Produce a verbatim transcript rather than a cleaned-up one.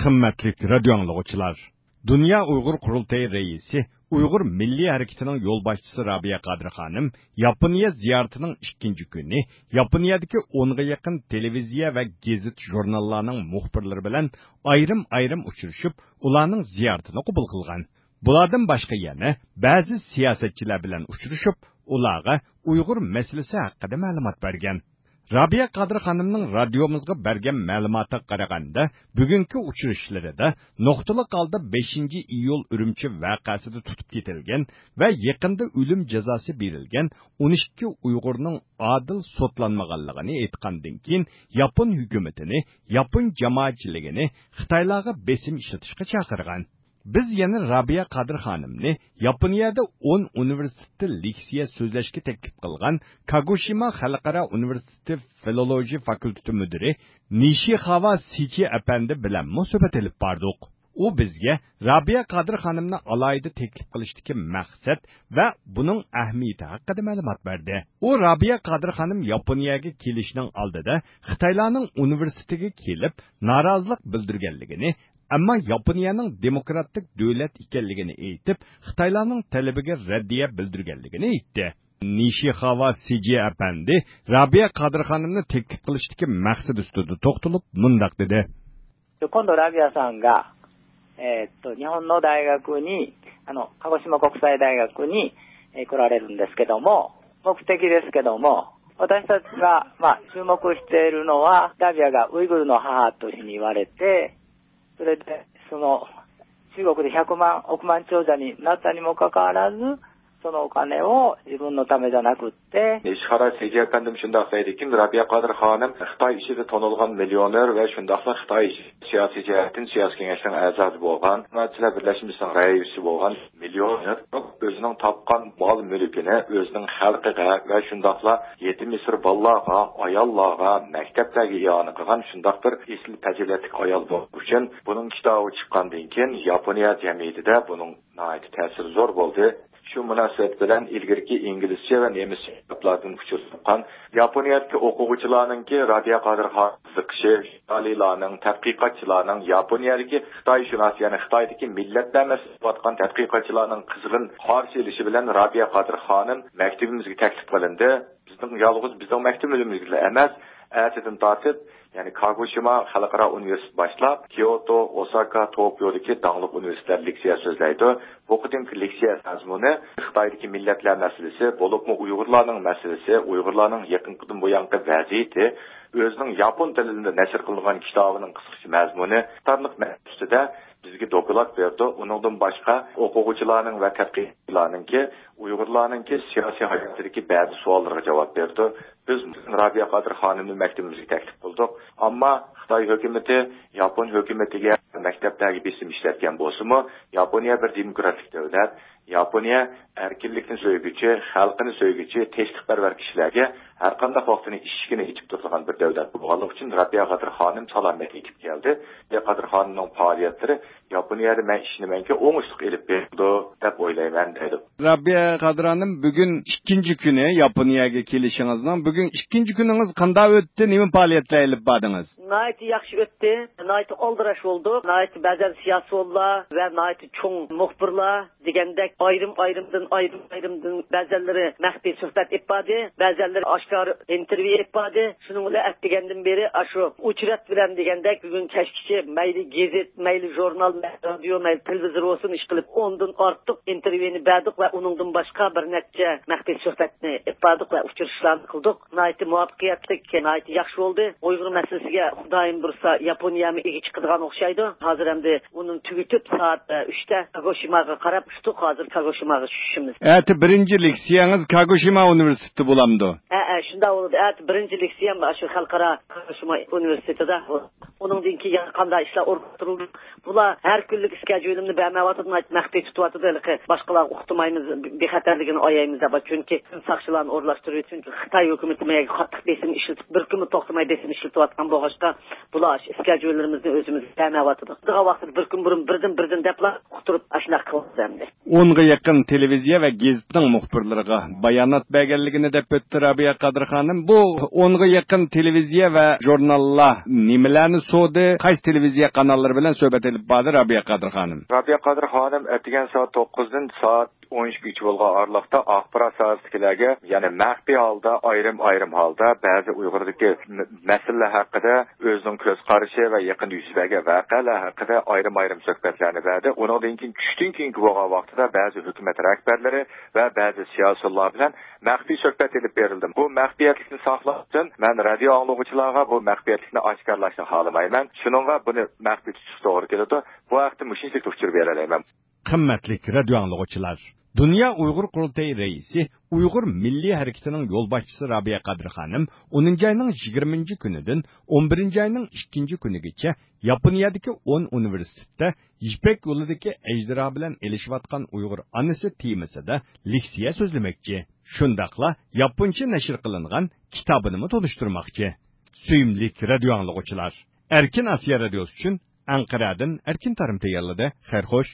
قىممەتلىك رادىيو ئاڭلىغۇچىلار! دۇنيا ئۇيغۇر قۇرۇلتىيى رەئىسى، ئۇيغۇر مىللىي ھەرىكىتىنىڭ يولباشچىسى رابىيە قادىر خانىم ياپونىيە زىيارىتىنىڭ ئىككىنچى كۈنى ياپونىيەدىكى ئونغا يېقىن تېلېۋىزىيە ۋە گېزىت-ژۇرناللارنىڭ مۇخبىرلىرى بىلەن ئايرىم-ئايرىم ئۇچرىشىپ، ئۇلارنىڭ زىيارىتىنى قوبۇل قىلغان. بۇلاردىن باشقا يەنە بەزى سىياسەتچىلەر بىلەن ئۇچرىشىپ، ئۇلارغا ئۇيغۇر مەسىلىسى ھەققىدە مەلۇمات بەرگەن. رابىيە قادىر خانىمنىڭ رادىيومىزغا بەرگەن مەلۇماتىغا قارىغاندا، بۈگۈنكى ئۇچرىشىشلىرىدا نۇقتىلىق ھالدا بەشىنچى ئىيۇل ئۈرۈمچى ۋەقەسىدە تۇتۇپ كېتىلگەن ۋە يېقىندا ئۆلۈم جازاسى بېرىلگەن ئون ئىككى ئۇيغۇرنىڭ ئادىل سوتلانمىغانلىقىنى ئېيتقاندىن كېيىن، ياپون ھۆكۈمىتىنى، ياپون جامائەتچىلىكىنى خىتايلارغا بېسىم ئىشلىتىشقا چاقىرغان. بىز يەنە رابىيە قادىر خانىمنى ياپونىيەدە ئون ئۇنىۋېرسىتېتتا لېكسىيە سۆزلەشكە تەكلىپ قىلغان كاگوشىما خەلقئارا ئۇنىۋېرسىتېتى فىلولوگىيە فاكۇلتېتى مۇدىرى نىشىخاۋا سىچى ئەپەندى بىلەنمۇ سۆھبەت ئېلىپ باردۇق. ئۇ بىزگە رابىيە قادىر خانىمنى ئالاھىدە تەكلىپ قىلىشتىكى مەقسەت ۋە بۇنىڭ ئەھمىيىتى ھەققىدە مەلۇمات بەردى. ئۇ رابىيە قادىر خانىم ياپونىيەگە كېلىشنىڭ ئالدىدا خىتايلارنىڭ ئۇنىۋېرسىتېتىگە كېلىپ نارازىلىق بىلدۈرگەنلىكىنى، ئەمما ياپونىيەنىڭ دېموكراتىك دۆلەت ئىكەنلىكىنى ئېيتىپ، خىتايلارنىڭ تەلىپىگە رەددىيە بىلدۈرگەنلىكىنى ئېيتتى. نىشىخاۋا سىجى ئەپەندى رابىيە قادىر خانىمنى تەكلىپ قىلىشتىكى مەقسىتى ئۈستىدە توختىلىپ مۇنداق دېدى. 今度ラビアさんが、えーっと日本の大学に、あの鹿児島国際大学に、えー来られるんですけども、目的ですけども、私たちが、まあ、注目しているのは、ラビアがウイグルの母というふうに言われて、それで、その、中国で百万、億万長者になったにもかかわらず、そのお金を自分のためじゃなくって、 نىشىخاۋا سىجى ئەپەندىم شۇنداق دەيدىكى، رابىيە قادىر خانىم خىتاي ئىچىدە تونۇلغان مىليونېر ۋە شۇنداقلا خىتاي سىياسىي جەھەتتىن سىياسىي كېڭەشنىڭ ئەزاسى بولغان، جامائەتچىلەر بىرلەشمىسىنىڭ رەئىسى بولغان مىليونېر ئۆزىنىڭ تاپقان مال-مۈلكىنى ئۆزىنىڭ خەلقىگە ۋە شۇنداقلا يېتىم-يېسىر بالىلارغا، ئاياللارغا، مەكتەپلەرگە ئىئانە قىلغان شۇنداق بىر ئېسىل پەزىلەتلىك ئايال بولغان ئۈچۈن بۇنىڭ كىتابى چىققاندىن كېيىن ياپونىيە جەمئىيىتىدە بۇنىڭ ناھايىتى تەسىرى زور بولدى. شۇ مۇناسىۋەت بىلەن ئىلگىرىكى ئىنگلىزچە ۋە نېمىسچە كىتابلاردىن ئۇچۇر تاپقان ياپونىيەدىكى ئوقۇغۇچىلارنىڭكى رابىيە قادىر خانىمغا قىزىقىشى، زىيالىيلارنىڭ، تەتقىقاتچىلارنىڭ ياپونىيەدىكى خىتايشۇناس، يەنى خىتايدىكى مىللەتلەر مەسىلىسى قىلىۋاتقان تەتقىقاتچىلارنىڭ قىزغىن قارشى ئېلىشى بىلەن رابىيە قادىر خانىم مەكتىبىمىزگە تەكلىپ قىلىندى. بىزنىڭ يالغۇز بىزنىڭ مەكتىپىمىزگىلا ئەمەس، ئەتىدىن تارتىپ، يەنى كاگوشىما خەلقئارا ئۇنىۋېرسىتېتى باشلاپ، كيوتو، ئوساكا، توكيودىكى داڭلىق ئۇنىۋېرسىتېتلەر لېكسىيە سۆزلەيدۇ. بۇ قېتىمقى لېكسىيە مەزمۇنى خىتايدىكى مىللەتلەر مەسىلىسى، بولۇپمۇ ئۇيغۇردىن بۇيانقى ۋەزىيىتى، ئۆزىنىڭ ياپون تىلىدا نەشر قىلىنغان كىتابىنىڭ قىسقىچە مەزمۇنى قاتارلىق مەسىلە ئۈستىدە بىزگە دوكلات بەردى. ئۇنىڭدىن باشقا، ئوقۇغۇچىلارنىڭ ۋە تەتقىقاتچىلارنىڭكى ئۇيغۇرلارنىڭكى سىياسىي ھاياتىدىكى بەزى سوئاللىرىغا جاۋاب بەردى. بىز رابىيە قادىر خانىمنى مەكتىپىمىزگە تەكلىپ قىلدۇق. ئەمما خىتاي ھۆكۈمىتى ياپون ھۆكۈمىتىگە، مەكتەپلەرگە بېسىم ئىشلەتكەن بولسىمۇ، ياپونىيە بىر دېموكراتىك دۆلەت. ياپونىيە ئەركىنلىكنى سۆيگۈچى، خەلقىنى سۆيگۈچى، تىنچلىقپەرۋەر كىشىلەرگە ھەرقانداق ۋاقىتنى ئىشىكىنى ئېچىپ تۇرىدىغان بىر دۆلەت بولغانلىقى ئۈچۈن رابىيە قادىر خانىم سالامەت يېتىپ كەلدى. رابىيە قادىر خانىمنىڭ پائالىيەتلىرى ياپونىيەدە مەن ئىشىنىمەنكى ئوڭۇشلۇق ئېلىپ بېرىلىدۇ دەپ ئويلايمەن دەيدۇ. رابىيە قادىر خانىم، بۈگۈن ئىككىنچى كۈنى ياپونىيەگە كېلىشىڭىزنىڭ. بۈگۈن ئىككىنچى كۈنىڭىز قانداق ئۆتتى؟ نېمە پائالىيەتلەر ئېلىپ باردىڭىز؟ ناھايىتى ياخشى ئۆتتى. ناھايىتى ئالدىراش بولدۇق. ناھايىتى بەزەن سىياسىيونلار ۋە ناھايىتى چوڭ مۇخبىرلار دېگەندەك ئايرىم ئايرىمدىن ئايرىم ئايرىمدىن بەزەنلىرى مەخپىي سۆھبەت ئېلىپ باردى، بەزەنلىرى ئاشكارا ئىنتېرۋيۇ ئېلىپ باردى. شۇنىڭ بىلەن ئەتىگەندىن بېرى ئاشۇ ئوچېرېد بىلەن دېگەندەك بۈگۈن كەچكىچە مەيلى گېزىت، مەيلى ژۇرنال، مەيلى رادىيو، مەيلى تېلېۋىزور بولسۇن ئىشقىلىپ ئوندىن ئارتۇق ئىنتېرۋيۇنى بەردۇق ۋە ئۇنىڭدىن باشقا بىر نەچچە مەخپىي سۆھبەتنى ئېلىپ باردۇق ۋە ئۇچرىشىشلارنى قىلدۇق. ناھايىتى مۇۋەپپەقىيەتلىك، ناھايىتى ياخشى بولدى. ئۇيغۇر مەسىلىسىگە خۇدايىم بۇيرۇسا ياپونىيەمۇ ئىگە چىقىدىغان ئوخشايدۇ. ھازىر ئەمدى ئۇنى تۈگىتىپ سائەت ئۈچتە كاگوشىماغا قاراپ ئۇچتۇق. ھازىر كاگوشىماغا چۈشۈشىمىز. ئەتە بىرىنچى لېكسىيەڭىز كاگوشىما ئۇنىۋېرسىتېتىدا بولامدۇ؟ ھە، ھە، شۇنداق بولىدۇ. ئەتە بىرىنچى لېكسىيەم شۇ خەلقئارا كاگوشىما ئۇنىۋېرسىتېتىدا. ئۇنىڭدىن كېيىن يەنە قانداق ئىشلار ئورۇنلاشتۇرۇلدى؟ بۇلار ھەر كۈنلۈك ئىسكەجۈلىمنى بەرمەيۋاتىدۇ، مەخپىي تۇتۇۋاتىدۇ. ھېلىقى باشقىلارغا ئۇقتۇرمايمىز، بىخەتەرلىكىنى ئايايمىز دەپ. چۈنكى ساقچىلارنى ئورۇنلاشتۇرۇۋېتىپ، چۈنكى خىتاي ھۆكۈمىتى مەيگە قاتتىق بېسىم ئىشلىتىپ، بىر كۈنمۇ توختىماي بېسىم ئىشلىتىۋاتقان بولغاچقا، بۇلار ئىسكەجۈلىرىمىزنى ئۆزىمىزگە بەرمەيۋاتىدۇ. بۇ ۋاقىتتا بىر كۈن بۇرۇن بىردىن، بىردىن دەپلا ئۇقتۇرۇپ، ئاشۇنداق قىلىۋاتىدۇ ئەمدى. ئونغا يېقىن تېلېۋىزىيە ۋە گېزىتنىڭ مۇخبىرلىرىغا بايانات بەرگەنلىكىنى دەپ ئۆتتى رابىيە قادىر خانىم. بۇ ئونغا يېقىن تېلېۋىزىيە ۋە ژۇرناللار نېمىلەرنى سورىدى؟ قايسى تېلېۋىزىيە قاناللىرى بىلەن سۆھبەت ئېلىپ باردى رابىيە قادىر خانىم؟ رابىيە قادىر خانىم ئەتىگەن سائەت توققۇزدىن سائەت ئون ئىككىگىچە بولغان ئارىلىقتا ئاخبارات ساھەسىدىكىلەرگە، يەنى مەخپىي ھالدا، ئايرىم-ئايرىم ھالدا بەزى ئۇيغۇردىكى مە-، مەسىلىلەر ھەققىدە ئۆزىنىڭ كۆز قارىشى ۋە يېقىندا يۈز بەرگەن ۋەقەلەر ھەققىدە ئايرىم-ئايرىم سۆھبەتلەرنى بەردى. ئۇنىڭدىن كېيىن، چۈشتىن كېيىنكى بولغان ۋاقتىدا بەزى ھۆكۈمەت رەھبەرلىرى ۋە بەزى سىياسىيونلار بىلەن مەخپىي سۆھبەت ئېلىپ بېرىلدى. بۇ مەخپىيەتلىكنى ساقلاش ئۈچۈن مەن رادىيو ئاڭلىغۇچىلارغا بۇ مەخپىيەتلىكنى ئاشكارىلاشنى خالىمايمەن. شۇنىڭغا بۇنى مەخپىي تۇتۇشقا توغرا كېلىدۇ. بۇ ھەقتە مۇشۇنچىلىك ئۇچۇر بېرەلەيمەن. قىممەتلىك رادىيو ئاڭلىغۇچىلار! دۇنيا ئۇيغۇر قۇرۇلتىيى رەئىسى، ئۇيغۇر مىللىي ھەرىكىتىنىڭ يولباشچىسى رابىيە قادىر خانىم ئونىنچى ئاينىڭ يىگىرمىنچى كۈنىدىن ئون بىرىنچى ئاينىڭ ئىككىنچى كۈنىگىچە ياپونىيەدىكى ئون ئۇنىۋېرسىتېتتا يىپەك يولىدىكى ئەجدىھا بىلەن ئېلىشىۋاتقان ئۇيغۇر ئانىسى تېمىسىدا لېكسىيە سۆزلىمەكچى. شۇنداقلا ياپونچە نەشر قىلىنغان كىتابىنىمۇ تونۇشتۇرماقچى. سۆيۈملۈك رادىيو ئاڭلىغۇچىلار! ئەركىن ئاسىيا رادىيوسى ئۈچۈن ئەنقەرەدىن ئەركىن تارىم تەييارلىدى. خەير خوش.